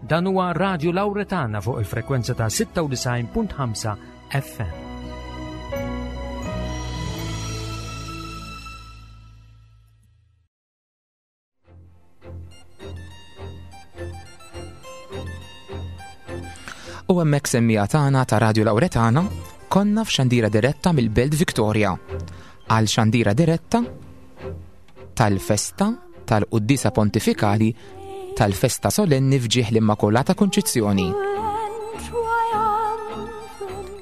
Dan huwa Radio Lauretana fuq il-frekwenza ta' 96.5 FM. U hemmhekk semmija tagħna ta' Radio Lauretana konna f'xandira diretta mill-Belt Victoria għal xandira diretta tal-festa tal-Quddisa Pontifikali tal-festa solenni f'ġieħ l-Immakulata Kunċizzjoni.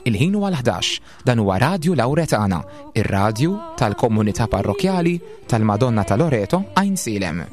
Il-ħin huwa l-11, dan huwa Radju Lauretana, ir-radju tal-komunità parrokjali tal-Madonna ta' Loreto Għajnsielem.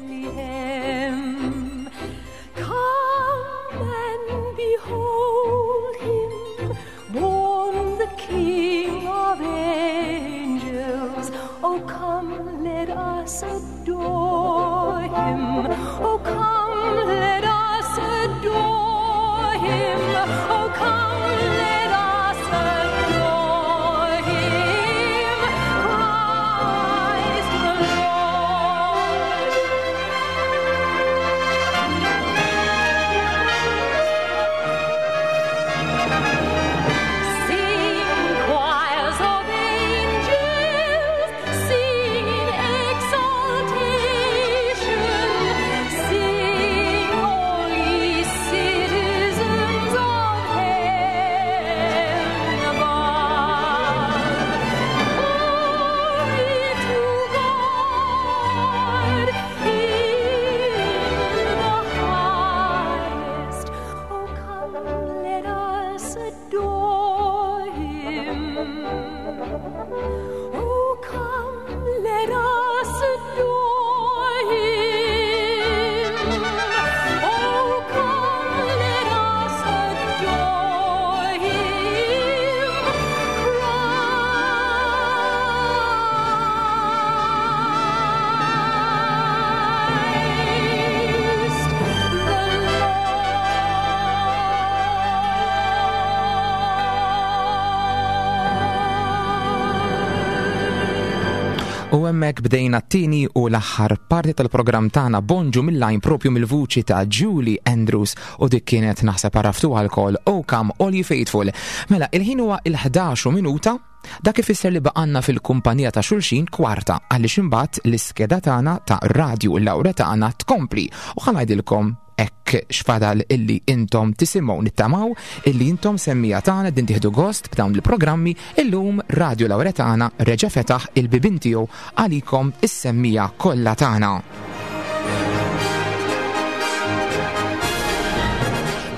U hemmhekk bdejna t-tieni u l-aħħar parti tal-programm tagħna Bonġu mill-lajn propju mill-vuċi ta' Julie Andrews u dik kienet naħseb għaraftu għal-kol Oh Come All You Faithful. Mela, il-ħin huwa il-11 minuta Dak ifisser li baqanna fil-kumpanija ta' xulxin kwarta għaliex imbagħad l-iskeda tagħna ta' Radju Lawretana tkompli u ħa ngħidilkom hekk x'fadal illi intom tisimgħu nittamaw illi intom semmija tagħna din tieħdu gost b'dawn il-programmi illum Radio Lawretana reġa' fetaħ il-bibien tiegħu għalikom is-semmija kollha tagħna.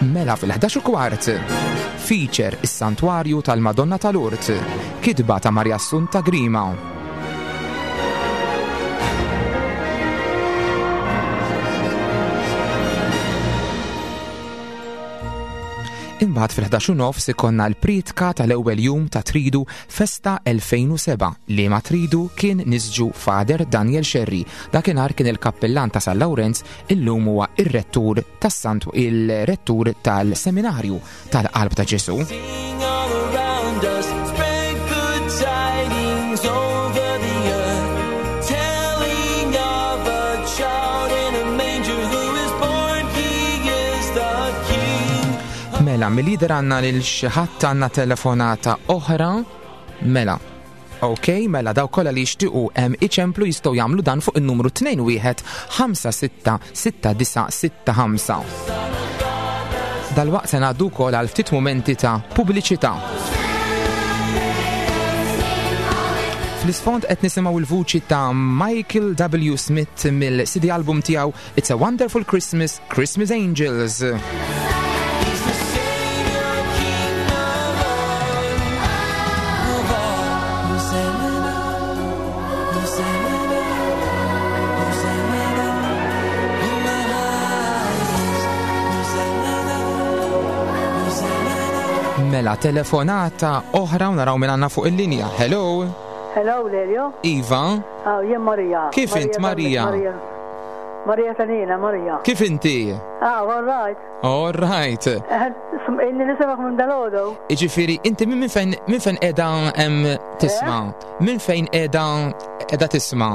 Mela fil-11 kwart feature is-Santwarju tal-Madonna tal-Urt, kitba ta' Maria Assunta Grima. Imbagħad fil-11 nofs ikonna l-pritka tal-ewwel jum ta' Tridu Festa 2007 li ma Tridu kien nisġu Father Daniel Scerri. Dakinhar kien il-kappillan ta' San Lawrenz, illum huwa ir-rettur tas-Sant il-rettur tal-Seminarju tal-Qalb ta' Ġesu. Mela, mill-lider għanna lil xi ħadd għandna telefonata oħra. Mela, Ok, mela daw kollha li jixtiequ hemm iċemplu jistgħu jagħmlu dan fuq in-numru 21 566965. Dalwaqt se ngħaddu wkoll għal ftit mumenti ta' pubbliċità. Fl-isfond qed nisimgħu l-vuċi ta' Michael W. Smith mill-CD album tiegħu It's a Wonderful Christmas, Christmas Angels. Mela telefonata oħra u naraw minn għandna fuq il-linja. Hello. Hello, Lelio. Iva. Ah, jien Maria. Kif int Maria? Maria. Maria Tanina, Maria. Kif inti? Ah, all right. All right. Eh, inni nisimak minn dal-ħodu. Iġifiri, inti minn fejn minn fejn edha tisma? Eh? Minn fejn edha edha tisma?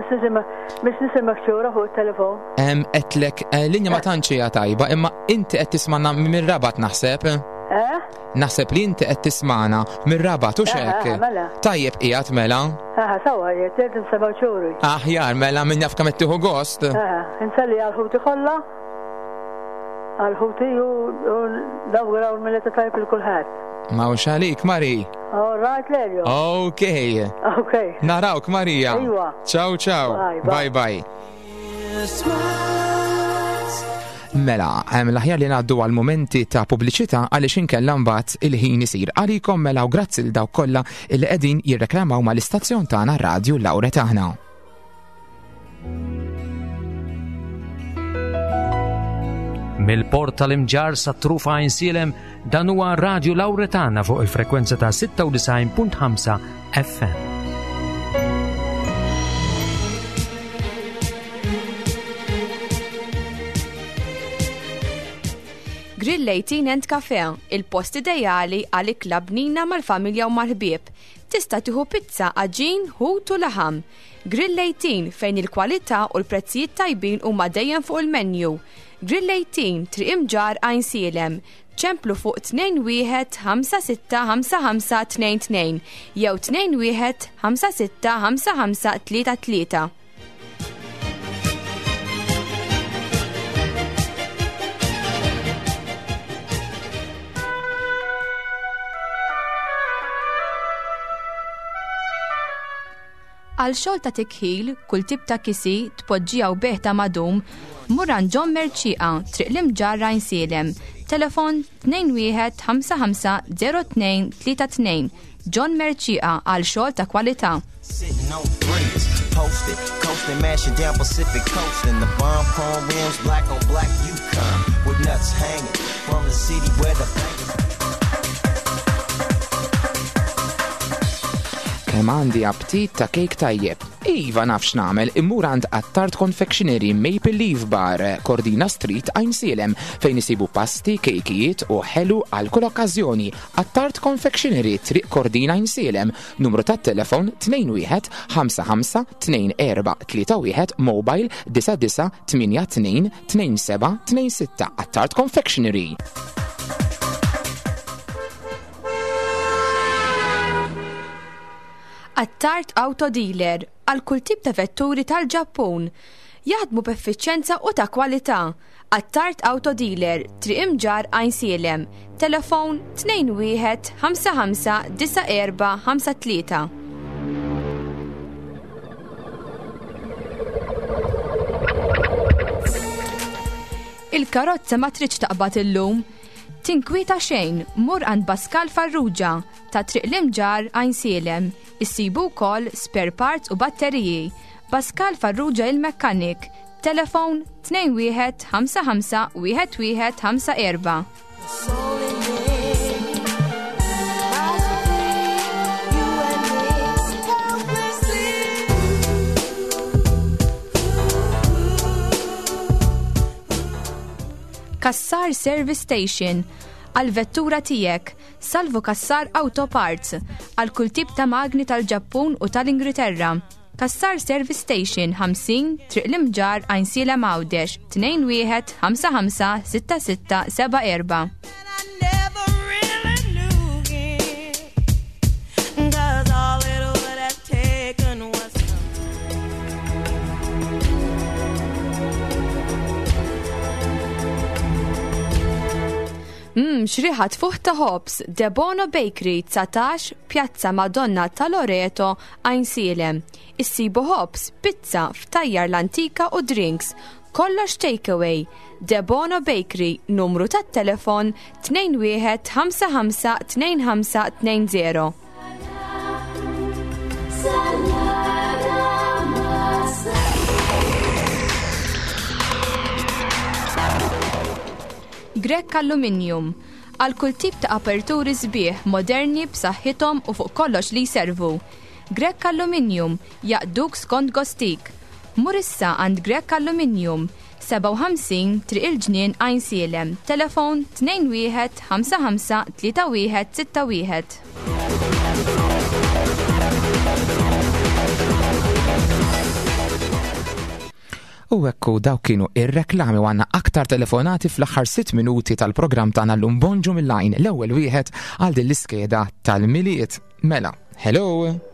Biex nisimak xura fuq il-telefon. Għedtlek, eh, linja ma tantx hija tajba, imma inti qed tismana mir-rabat naħseb. Eh? Naħseb li inti qed tismana mir-rabat u xek. Eh, mela. Tajjeb qiegħed mela. Eh, sawa, qed nsemgħu xuri. Aħjar mela min jaf kemm qed tieħu gost. Eh, inselli għal ħuti kollha. Għal ħuti u nawguraw l-mileta tajb il kulħadd. Mawx għalik, Mari. All right, Lelio. Ok. Ok. Narawk, Marija. Iwa. Ciao, ciao. Bye, bye. bye. Mela, l-aħjar li ngħaddu għal momenti ta' pubbliċità għaliex inkella mbagħad il-ħin isir għalikom mela u grazzi l dawk kollha li qegħdin jirreklamaw mal-istazzjon tagħna Radju Lawre tagħna. Mill-port tal-Imġarr sa trufa Għajnsielem dan huwa Radju Lawretana fuq il-frekwenza ta' 96.5 FM. Grill 18 and Cafe, il-post ideali għal ikla bnina mal-familja u mal-ħbieb. Tista' tieħu pizza, għaġin, ħut u laħam. Grill 18 fejn il-kwalità u l-prezzijiet tajbin huma dejjem fuq il-menu. Grill 18, Triq Imġarr, Għajnsielem. Ċemplu fuq 21 56 55 22 jew 21 56 55 33. Għal xogħol ta' tikħil, kull tip ta' kisi, tpoġġija u bejgħ ta' madum, mur għand John Mercieqa, Triq l-Imġarr Għajnsielem, telefon 21 55 02 32. John Mercieqa għal xogħol ta' kwalità. Sitting on threes, posted, coasting, mashing down Pacific coast in the bomb chrome rims, black on black Yukon, with nuts hanging from the city where the bangers. Kemm għandi aptit ta' kejk tajjeb. Iva naf x'nagħmel, immur għand Attard Confectionery Maple Leaf Bar, Cordina Street, Għajnsielem, fejn isibu pasti, kejkijiet u ħelu għal kull okkażjoni. Attard Confectionery, Triq Cordina Għajnsielem, numru tat-telefon 21 55 24 31, mobile 99 82 27 26. Attard Confectionery. Attard Auto Dealer għal kull tip ta' vetturi tal-Ġappun. Jaħdmu b'effiċjenza u ta' kwalità. Attard Auto Dealer, Triq Imġarr Għajnsielem, telefon 21 55 94 53. Il-karozza ma tridx taqbad illum. Tinkwieta xejn, mur għand Pascal Farrugia ta' Triq l-Imġarr Għajnsielem. Issibu wkoll spare parts u batteriji. Pascal Farrugia il-mekkanik. Telefon 21 55 11 54. Cassar Service Station għal vettura tiegħek, Salvu Cassar Auto Parts għal kull tip ta' magni tal-Ġappun u tal-Ingilterra. Cassar Service Station 50 Triq l-Imġarr Għajnsielem Għawdex 21 55 66 74. Mmm, x'riħa tfuħ ta' ħobż, Debono Bakery, 19, Pjazza Madonna ta' Loreto, Għajnsielem. Issibu ħobż, pizza, ftajjar l-antika u drinks. Kollox takeaway. Debono Bakery, numru tat-telefon 21 55 25 20. Grech Aluminium, għal kull tip ta' aperturi sbieħ, moderni, b'saħħithom u fuq kollox li jservu. Grech Aluminium, jaqduk skont gostik. Mur issa għand Grech Aluminium, 57 Triq il-Ġnien Għajnsielem, telefon 21 55 31 61. U ekku dawk kienu ir-reklami u għandna aktar telefonati fl-aħħar 6 minuti tal-programm tagħna llum Bonġu mill-għajn l-ewwel wieħed għal din l-iskeda tal-Milied. Mela, hello.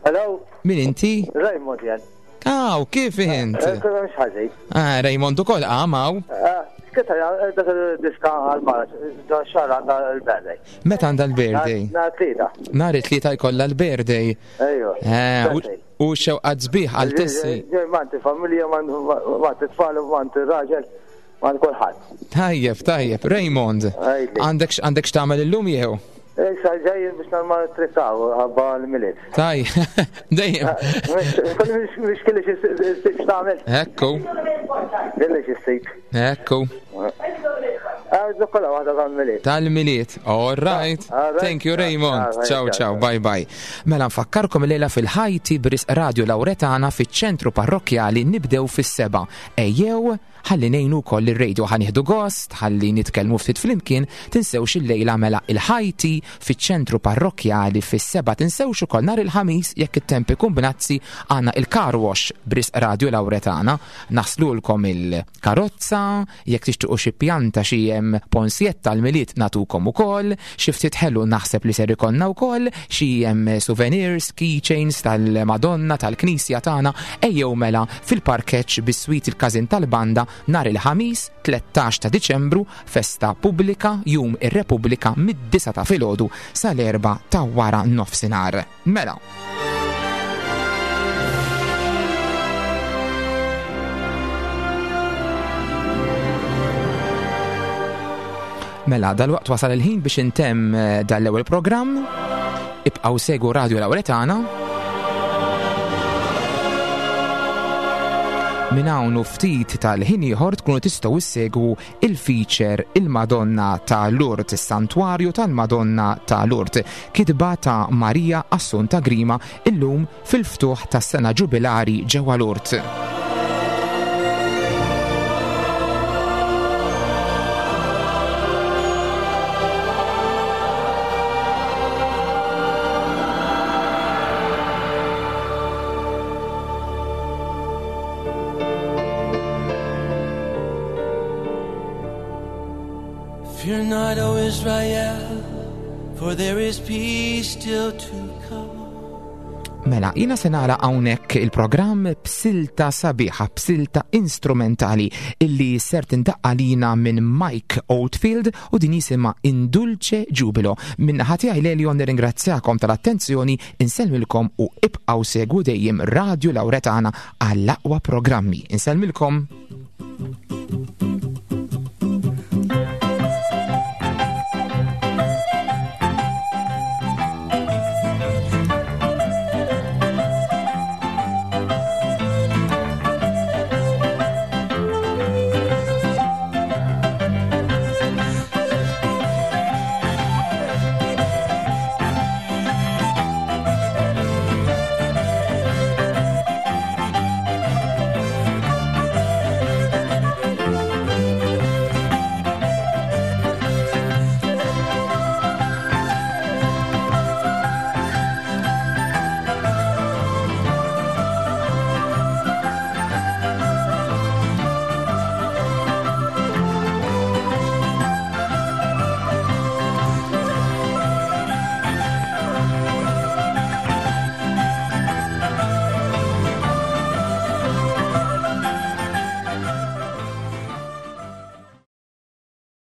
Hello. Min inti? Raymond jen. Aw, kif int? Eh, ħażin. Ah, Raymond ukoll għamaw. Ah, Kita dak il-diska għal-mara, da xar għandha l-birthday. Meta għandha l-birthday? Nhar tlieta. Nhar it-tlieta jkollha l-birthday. Ejwa. Eh, u xewqat sbieħ għal tissi. Manti familja, manti tfal, manti raġel, mant kulħadd. Tajjeb, tajjeb. Raymond, għandek għandek x'tagħmel illum jew? Issa ġej biex normal trikaw ħabba l-miliet. Taj, dejjem. Mhux kelli xi ssib x'tagħmel. Ekku. Kelli xi ssib. Ekku. Kolla waħda tal-miliet. Tal-miliet. All right. Thank you, Raymond. Ciao, ciao. Bye, bye. Mela nfakkarkom il-lejla fil-ħajti bris Radio Lauretana fiċ-ċentru parrokkjali nibdew fis-seba. Ejjew, ħalli ngħinu wkoll ir-radio ħa nieħdu gost, ħalli nitkellmu ftit flimkien, tinsewx il-lejla mela il-ħajti fiċ-ċentru parrokkjali fis-seba. Tinsewx ukoll nhar il-Ħamis jekk it-temp ikun bnazzi għandna il-car wash bris Radio Lauretana. Naħslulkom il-karozza, jekk tixtiequ xi pjanta xi hemm ponsjetta l-Milied nagħtukom ukoll, xi ftit ħelu naħseb li ser ikollna wkoll, xi hemm souvenirs, keychains tal-Madonna, tal-Knisja tagħna, ejjew mela fil-parkeġġ biswit il-Każin tal-Banda nhar il-Ħamis 13 ta' Diċembru, festa pubblika, Jum ir-Repubblika mid-disgħa ta' filgħodu sal-erbgħa ta' wara nofsinhar. Mela. Mela, dal-waqt wasal il-ħin biex intemm eh, dal-ewwel programm. Ibqgħu segu Radio Lauretana. Minn hawn u ftit tal-ħin ieħor tkunu tistgħu issegwu il-feature Il-Madonna ta' Lourdes, is-Santwarju tal-Madonna ta' Lourdes, kitba ta' Maria Assunta Grima illum fil-ftuħ tas-sena ġubilari ġewwa Lourdes. Fear not, O Israel, for there is peace still to come. Mela, jina se nara hawnhekk il-programm b'silta sabiħa, b'silta instrumentali illi ser tindaqqa lina minn Mike Oldfield u din jisimha Indulce Jubilo. Minn ħati għaj Lelion nirringrazzjakom tal-attenzjoni, insellmilkom u ibqgħu segwu dejjem Radio Lauretana għall-aqwa programmi. Insellmilkom.